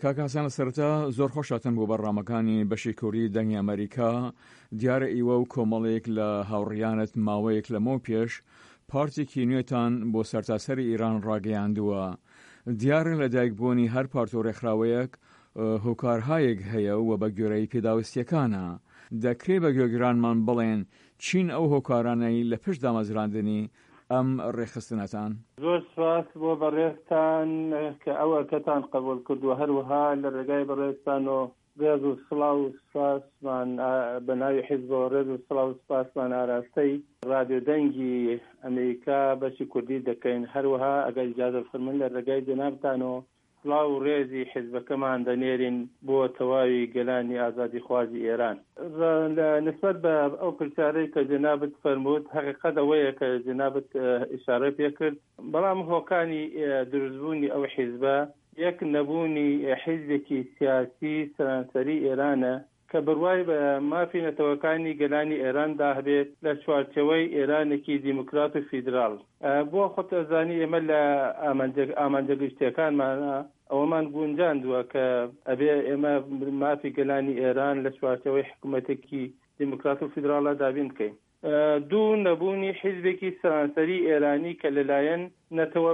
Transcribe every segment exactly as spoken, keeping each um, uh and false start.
کاک حەسەن لە سەرەتا زۆر خۆشهاتن بۆ بەرنامەکانی بەشی کوردی دەنگی ئەمەریکا. دیارە ئیوە و کۆمەڵێک لە هاوڕیانت ماوەیەک لەمەو پێش پارتێکی نوێتان بۆ سەرتاسەری ئیران ڕاگەیاندووە. دیارە لەدایکبوونی هەر پارت و ڕێکخراوەیەک هۆکارهایەک هەیە و بە گوێرەی پێداویستیەکانە. دەکرێ بە گوێگرانمان بڵێن چین ئەو هۆکارانەی لە پشت دامەزراندنی ئەم ڕێکخستنەتان؟ زۆر سپاس بۆ بەڕێزتان کە ئەو ئەرکەتان قبوڵ کردووە، هەروەها لە ڕێگای بەڕێزتان و ڕێز و سڵاو و سپاسمان بە ناوی حیزبەوە ڕێز و سڵاو و سپاسمان ئاراستەی ڕادیۆ دەنگی ئەمریکا بەشی کوردی دەکەین. هەروەها ئەگەر ئیجازە بفەرموون لە ڕێگای جەنابتان و سڵاو و ڕێزی حیزبەکەمان دەنێرین بۆ تەواوی گەلانی ئازادیخوازی ئێران. لە نسبەت بە ئەو پرسیارەی کە جەنابت فەرمووت، هەقیقەت ئەوەیە کە جەنابت ئیشارە پێ کرد، بەڵام هۆکانی دروستبوونی ئەو حیزبە یەک نەبوونی حیزبێکی سیاسی سەرانسەری ئێرانە کە بڕوای بە مافی نەتەوەکانی گەلانی ئێراندا هەبێت لە چوارچێوەی ئێرانێکی دیموکرات و فیدراڵ. بۆ خۆت ئەزانی ئێمە لە ئامانجە گشتیەکانمانە ئەوەمان گونجاندووە کە ئەبێ ئێمە مافی گەلانی ئێران لە چوارچێوەی حکوومەتێکی دیموکرات و فیدراڵە دابین بکەین. دوو، نەبوونی حیزبێکی سەرانسەری ئێرانی کە لەلایەن نەتەوە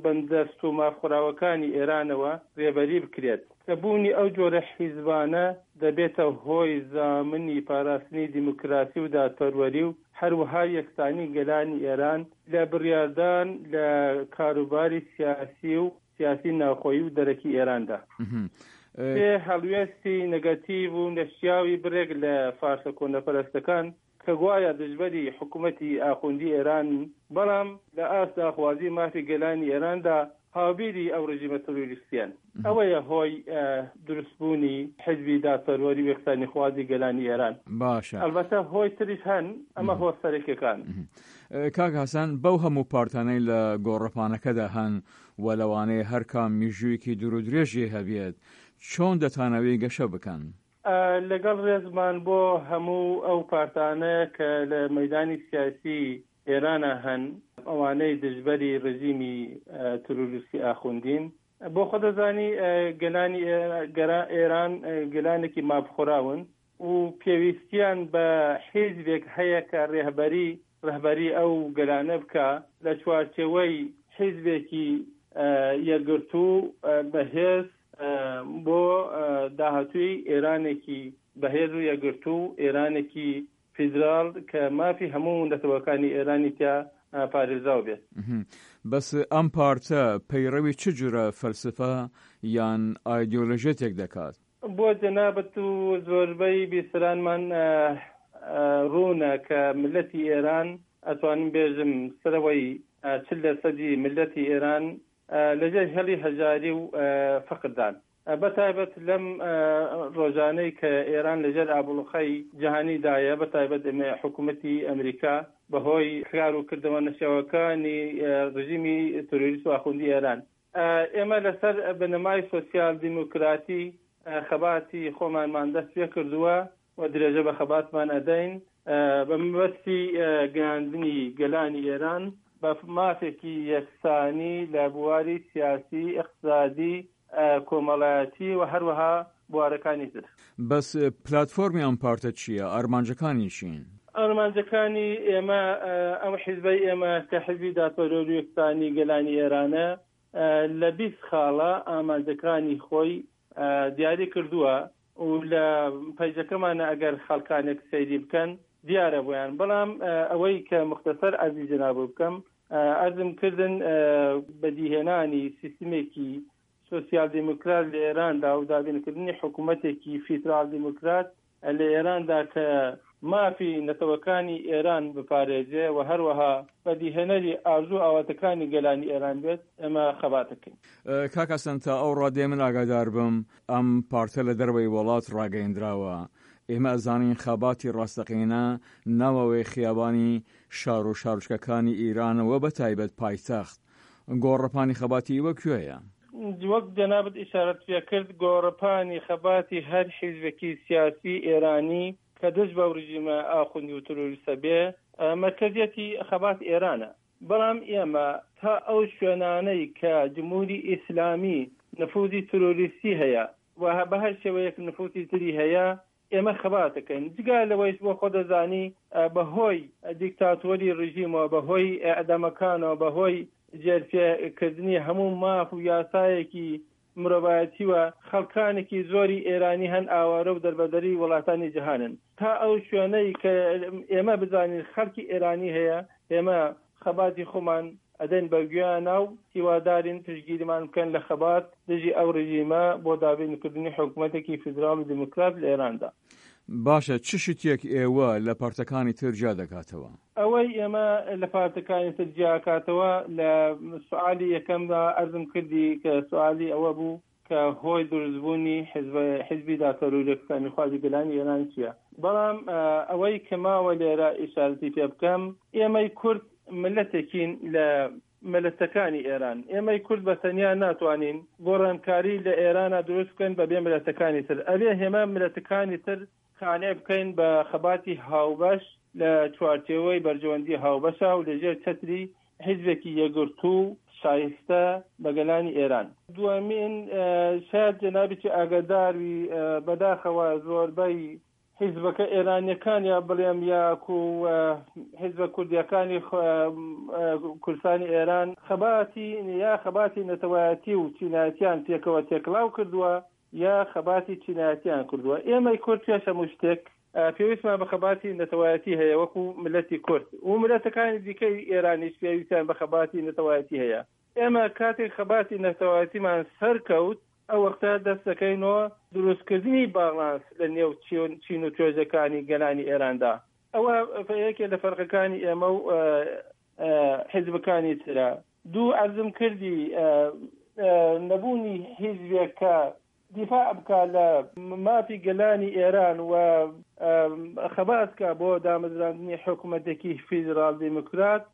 بندەست و مافخوراوەکانی ئێرانەوە رێبەری بکرێت، کە بوونی ئەو جۆرە حیزبانە دەبێتە هۆی زامنی پاراستنی دیموکراسی و دادپەروەری و هەروەها یەکسانی گەلانی ئێران لە بڕیاردان لە کاروباری سیاسی و سیاسی ناوخۆیی و دەرەکی ئێراندا. سێ، هەڵوێستی نەگەتیڤ و نەشیاوی بڕێک لە فارسە کۆنەپەرستەکان کە گوایە دژبەری حکوومەتی ئاخوندی ئێرانن، بەڵام لە ئاست داخوازی مافی گەلانی ئێراندا هاوبیری ئەو ڕژیمە ترۆریستیەن. ئەوەیە هۆی دروستبوونی حیزبی دادپەروەری و یەکسانیخوازی گەلانی ئێران. باشە. ئەلبەتە هۆی تریش هەن، ئەمە هۆ سەرەکیەکان. کاک حەسەن، بەو هەموو پارتانەی لە گۆڕەپانەکەدا هەن و لەوانەیە هەر کام میژوویەکی دوور و درێژی هەبێت، چۆن دەتانەوێ گەشە بکەن؟ لەگەڵ ڕێزمان بۆ هەموو ئەو پارتانە کە لە مەیدانی سیاسی ئێرانە هەن، ئەوانەی دژبەری ڕژیمی ترۆریستی ئاخوندین، بۆ خۆ دەزانی گەلانی ئێران گەلانێکی مافخوراون و پێویستیان بە حیزبێک هەیە کە ڕێهبەری ڕەهبەری ئەو گەلانە بکا لە چوارچێوەی حیزبێکی یەکگرتوو بەهێز بۆ داهاتووی ئێرانێکی بەهێز و یەکگرتوو، ئێرانێکی فیدراڵ کە مافی هەموو نەتەوەکانی ئێرانی تیا پارێزراو بێت. بەس ئەم پارتە پەیڕەوی چ جورە فەلسفە یان ئایدیۆلۆژیەتێک دەکات؟ بۆ جەنابت و زۆربەی بیسەرانمان ڕوونە کە ملەتی ئێران، ئەتوانم بێژم سەرەوەی چل لەسەدی ملەتی ئێران لەژێر هێڵی هەژاری و فەقردان. بە تایبەت لەم ڕۆژانەی کە ئێران لەژێر ئابڵوقەی جیهانیدایە، بە تایبەت حکوومەتی ئەمریکا بەهۆی کار و کردەوە نەشیاوەکانی ڕژیمی ترۆریست و ئاخوندی ئێران. ئێمە لەسەر بنەمای سۆسیال دیموکراتی خەباتی خۆمانمان دەست پێ کردووە و درێژە بە خەباتمان ئەدەین بە مەبەستی گەیاندنی گەلانی ئێران بە مافێکی یەکسانی لە بواری سیاسی، ئیقتسادی، کۆمەڵایەتی و هەروەها بوارەکانی تر. بەس پلاتفۆرمی ئەم پارتە چییە؟ ئارمانجەکانی چین؟ ئارمانجەکانی ئێمە، ئەم حیزبەی ئێمە کە حیزبی دادپەروەری و یەکسانی گەلانی ئێرانە، لە بیست خاڵە ئامانجەکانی خۆی دیاری کردووە و لە پەیجەکەمانە ئەگەر خەڵکانێک سەیری بکەن دیارە بۆیان. بەڵام ئەوەی کە مختصر عەرزی جەنابو بکەم، عەرزم کردن بەدیهێنانی سیستمێکی سۆسیال دیموکرات لە ئێراندا و دابینکردنی حکوومەتێکی فیدرال دیموکرات لە ئێراندا کە مافی نەتەوەکانی ئێران بپارێزێ و هەروەها بەدیهێنەری ئارزوو و ئاواتەکانی گەلانی ئێران بێت، ئێمە خەبات دەکەین. کاک حەسەن، تا ئەو ڕادەیە من ئاگادار بم ئەم پارتە لە دەرەوەی وڵات ڕاگەیەندراوە. ئێمە ئەزانین خەباتی ڕاستەقینە ناوەوەی خیابانی شار و شارۆچکەکانی ئیرانە و بە تایبەت پایتەخت. گۆڕەپانی خەباتی ئیوە کوێیە؟ وەک جەنابت ئیشارەت پێ کرد، گۆڕەپانی خەباتی هەر حیزبێکی سیاسی ئێرانی کە دژ بەو ڕژیمە ئاخوندی و ترۆریستە بێ، مەرکەزیەتی خەبات ئێرانە. بەڵام ئێمە تا ئەو شوێنانەی کە جمهوری ئیسلامی نفوزی ترۆریستی هەیە و بە هەر شێوەیەک نفوزی تری هەیە ئێمە خەبات دەکەین. جگە لەوەیش بۆ خۆ دەزانی بەهۆی دیکتاتۆری ڕژیمەوە، بەهۆی ئەعدامەکانەوە، بەهۆی جێرپێکردنی هەموو ماف و یاسایەکی مرۆڤایەتیوە خەڵکانێکی زۆری ئێرانی هەن ئاوارە و دەربەدەری وڵاتانی جیهانن. تا ئەو شوێنەی کە ئێمە بزانین خەڵکی ئێرانی هەیە، ئێمە خەباتی خۆمان ئەدەین بە گوێیانە و هیوادارین پشتگیریمان بکەن لە خەبات دژی ئەو ڕژیمە بۆ دابینکردنی حکوومەتێکی فیدراڵ و دیموکرات لە ئێراندا. باشە، چ شتێک ئێوە لە پارتەکانی تر جیا دەکاتەوە؟ ئەوەی ئێمە لە پارتەکانی تر جیاکاتەوە لە سوالی یەکەمدا ئەرزم کردی کە سوالی ئەوە بوو کە هۆی دروستبوونی حزبی دادپەروەری و یەکسانیخوازی گەلانی ئێران چییە. بەڵام ئەوەی کە ماوە لێرە ئیشارەتی پێ بکەم، ئێمەی کورد ملەتێکین لە ملەتەکانی ئێران. ئێمەی کورد بە تەنیا ناتوانین گۆڕانکاری لە ئێرانە دروست بکەین بەبێ ملەتەکانی تر. ئەبێ هێمە ملەتەکانی تر قانع بکەین بە خەباتی هاوبەش لە چوارچێوەی بەرژەوەندی هاوبەشە و لەژێر چەتری حیزبێکی یەکگرتوو شایستە بە گەلانی ئێران. دووەمین، شاید جەنابێکی ئاگاداروی بەداخەوە زۆربەی حیزبەکە ئێرانیەکان یا بڵێم یاکو حیزبە کوردیەکانی کوردستانی ئێران خەباتی یا خەباتی نەتەوایەتی و چینایەتیان پێکەوە تێکڵاو کردووە یا خەباتی چینایەتیان کردووە. ئێمەی کورد پێش هەموو شتێک پێویستمان بە خەباتی نەتەوایەتی هەیە وەکو ملەتی کورد و ملەتەکانی دیکەی ئێرانیش پێویستیان بە خەباتی نەتەوایەتی هەیە. ئێمە کاتێک خەباتی نەتەوایەتیمان سەرکەوت، ئەو وەختە دەست دەکەینەوە دروستکردنی باڵانس لە نێو چین و توێژەکانی گەلانی ئێراندا. ئەوە یەکێ لە فەرقەکانی ئێمە و حیزبەکانی ترە. دوو، ئەرزم کردی نەبوونی حیزبێک کە دیفاع بکە لە مافی گەلانی ئێران و خەبات بکە بۆ دامەزراندنی حکوومەتێکی فیدراڵ دیموکرات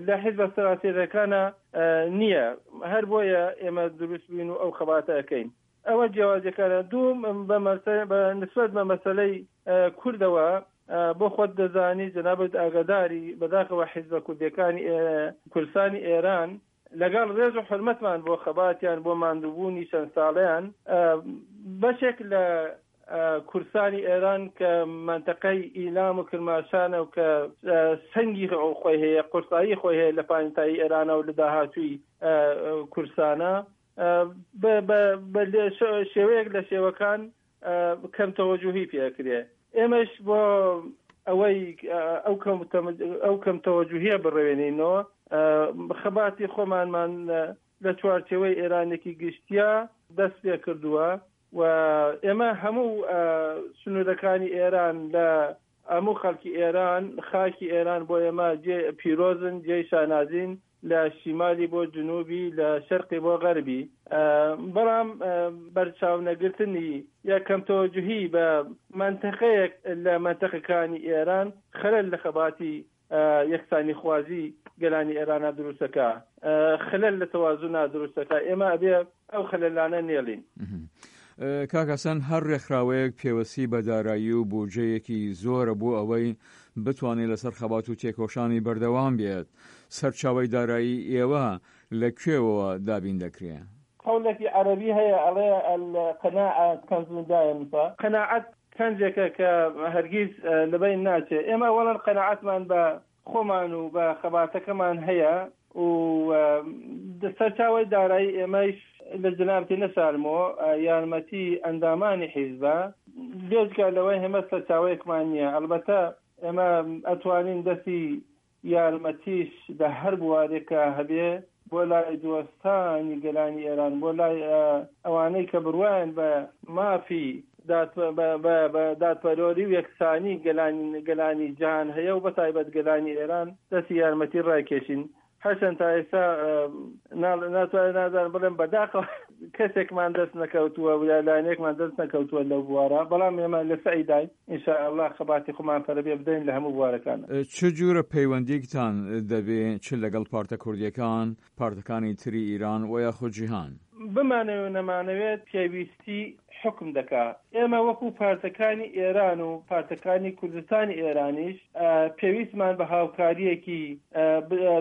لە حیزبە سەراسەریەکانە نییە. هەر بۆیە ئێمە دروست بووین و ئەو خەباتە ئەەکەین. ئەوە جیاوازیەکانە. دوو، بە نسبەت بە مەسەلەی کوردەوە بۆ خۆت دەزانی جەنابت ئاگاداری بەداخەوە حیزبە کوردیەکانی کوردستانی ئێران لەگەڵ ڕێز و حرمەتمان بۆ خەباتیان بۆ ماندووبوونی چەند ساڵیان، بەشێک لە کوردستانی ئێران کە منطقەی ئیلام و کرماشانە و کە سەنگی خۆی هەیە، قورسایی خۆی هەیە لە پانتایی ئێرانە و لە داهاتووی کوردستانە، بە شێوەیەک لە شێوەکان کەم تەوەجوهی پێکرێ. ئێمەش بۆ ئەوەی ئەو کەم تەوەجوهیە بڕێنینەوە خەباتی خۆمانمان لە چوارچێوەی ئێرانێکی گشتیا دەست پێ کردووە و ئێمە هەموو سنوورەکانی ئێران لە هەموو خەڵکی ئێران، خاکی ئێران بۆ ئێمە جێ پیرۆزن، جێی شانازین، لە شیمالی بۆ جنوبی، لە شەرقی بۆ غەربی. بەڵام بەرچاو نەگرتنی یا کەم تەوەجوهی بە منطقەیەک لە منطقەکانی ئێران خەلەل لە خەباتی یەکسانی خوازی گەلانی ئێرانە دروستەکە، خلل لە تەوازونا دروستەکە. ئێمە ئەبێ ئەو خللانە نێڵین. کاک حەسەن، هەر ڕێکخراوەیەک پێوەستی بە دارایی و بودجەیەکی زۆرە بۆ ئەوەی بتوانێت لەسەر خەبات و تێکۆشانی بەردەوام بێت. سەرچاوەی دارایی ئێوە لە کوێوەوە دابین دەکرێ؟ قەولێکی عەرەبی هەیە ئەڵێ القناعة كنز لا ينفع. قەناعەت کەنجێکە کە هەرگیز لەبەین ناچێ. ئێمە ئەوەڵەن قەناعەتمان بە خۆمان و بە خەباتەکەمان هەیە و سەرچاوەی دارایی ئێمەش لە جەنابتی نەشارمەوە یارمەتی ئەندامانی حیزبە، بێجگە لەوەی هێمە سەرچاوەیەکمان نییە. ئەلبەتە ئێمە ئەتوانین دەستی یارمەتیش لە هەر بوارێکە هەبێ بۆ لای دۆستانی گەلانی ئێران، بۆ لای ئەوانەی کە بڕوایان بە مافی دادپەروەری و یەکسانی گەلانی جیهان هەیە و بە تایبەت گەلانی ئێران دەستی یارمەتی ڕایکێشین. هەرچەند تا ئێستا ناتوانێت نازانم بڵێم بەداخەوە کەسێکمان دەست نەکەوتووە و یا لایەنێکمان دەست نەکەوتووە لەو بوارە، بەڵام ئێمە لە سەعیداین ئینشاءالله خەباتی خۆمان پەرە پێ بدەین لە هەموو بوارەکان. چ جورە پەیوەندیکتان دەبێ چ لەگەڵ پارتە کوردیەکان، پارتەکانی تری ئیران و یاخود جیهان؟ بمانەوێت و نەمانەوێت پێویستی حکم دەکا. ئێمە وەکو پارتەکانی ئێران و پارتەکانی کوردستانی ئێرانیش پێویستمان بە هاوکاریەکی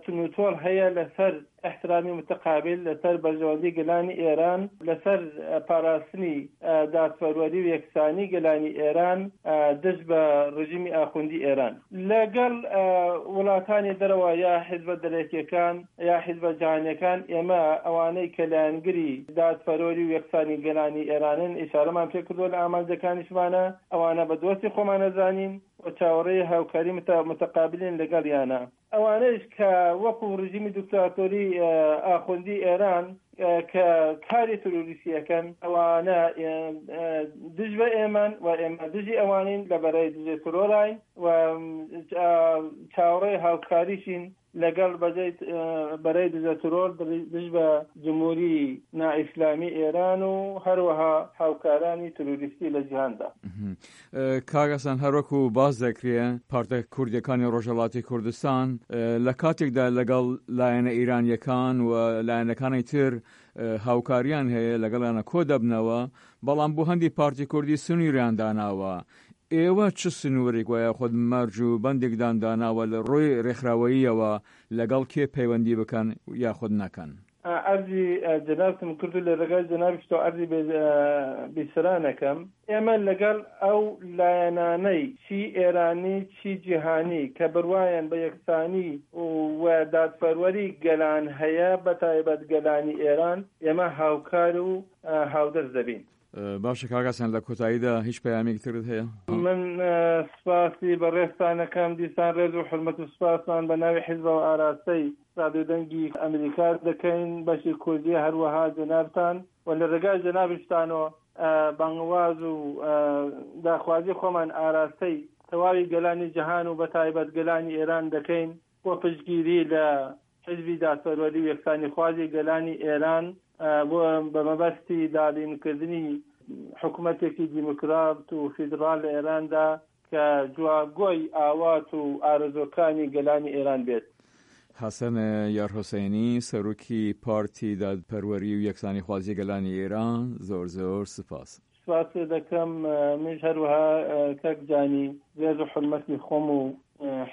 تونوتۆڵ هەیە لەسەر ئیحترامی متقابل، لەسەر بەرژەوەندی گەلانی ئێران، لەسەر پاراستنی دادپەروەری و یەکسانی گەلانی ئێران دژ بە ڕژیمی ئاخوندی ئێران. لەگەڵ وڵاتانی دەرەوە یا حیزبە دەرەکیەکان یا حیزبە جیهانیەکان، ئێمە ئەوانەی کە لایەنگری دادپەروەری و یەکسانی گەلانی ئێرانن ئیشارەمان پێکردووە لە ئامانجەکانیشمانە، ئەوانە بە دۆستی خۆمان ئەزانین و چاوەڕێی هاوکاری متقابلین لەگەڵیانە. ئەوانەیش کە وەکو ڕژیمی دیکتاتۆری ئاخوندی ئێران کە کاری ترۆریستی ئەکەن، ئەوانە دژ بە ئێمەن و ئێمە دژی ئەوانین، لە بەرەی دژە ترۆراین و چاوەڕێی هاوکاریشین لەگەڵ بەرەی دژە ترۆر دژ بە جمهوری نائیسلامی ئێران و هەروەها هاوکارانی ترۆریستی لە جیهاندا. کاک حەسەن، هەروەکو باس دەکرێ پارتە کوردیەکانی ڕۆژهەڵاتی کوردستان لە کاتێکدا لەگەڵ لایەنە ئیرانیەکان و لایەنەکانی تر هاوکاریان هەیە، لەگەڵیانە کۆ دەبنەوە، بەڵام بۆ هەندی پارتی کوردی سنووریان داناوە. ئێوە چ سنوورێک و یاخود مەرج و بەندێکدان داناوە لە ڕووی ڕێکخراوەییەوە لەگەڵ کێ پەیوەندی بکەن یاخود نەکەن؟ عەرزی جەنابتم کرد و لە ڕێگای جەنابیشتەوە عەرزی بیسەرانەکەم، ئێمە لەگەڵ ئەو لایەنانەی چی ئێرانی چی جیهانی کە بڕوایان بە یەکسانی و دادپەروەری گەلان هەیە، بە تایبەت گەلانی ئێران، ئێمە هاوکار و هاودەست دەبین. باشە کاک حەسەن، لە کۆتاییدا هیچ پەیامێکی ترت هەیە؟ من سپاسی بەڕێزتانەکەم، دیسان ڕێز و حورمەت و سپاسمان بە ناوی حیزبەوە ئاراستەی رادیۆ دەنگی ئەمریکا دەکەین بەشی کوردی، هەروەها جەنابتان و لە ڕێگای جەنابیشتانەوە بانگواز و داخوازی خۆمان ئاراستەی تەواوی گەلانی جیهان و بە تایبەت گەلانی ئێران دەکەین بۆ پشتگیری لە حیزبی دادپەروەری و یەکسانیخوازی گەلانی ئێران بۆ بە مەبەستی دابینکردنی حکومەتێکی دیموکرات و فیدراڵ لە ئێراندا کە جوابگۆی ئاوات و ئارەزووەکانی گەلانی ئێران بێت. حەسەن یارحوسەینی، سەرۆکی پارتی دادپەروەری و یەکسانیخوازی گەلانی ئێران، زۆر زۆر سپاس. سپاست دەکەم. منیش هەروەها کاک جانی ڕێز و حورمەتی خۆم و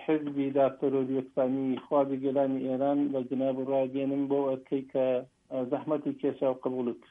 حیزبی دادپەروەری و یەکسانی خوازی گەلانی ئێران بە جەناب ڕاگەیەنم بۆ ئەرکەی کە زەحمەتی کێشا و قبوڵی کرد.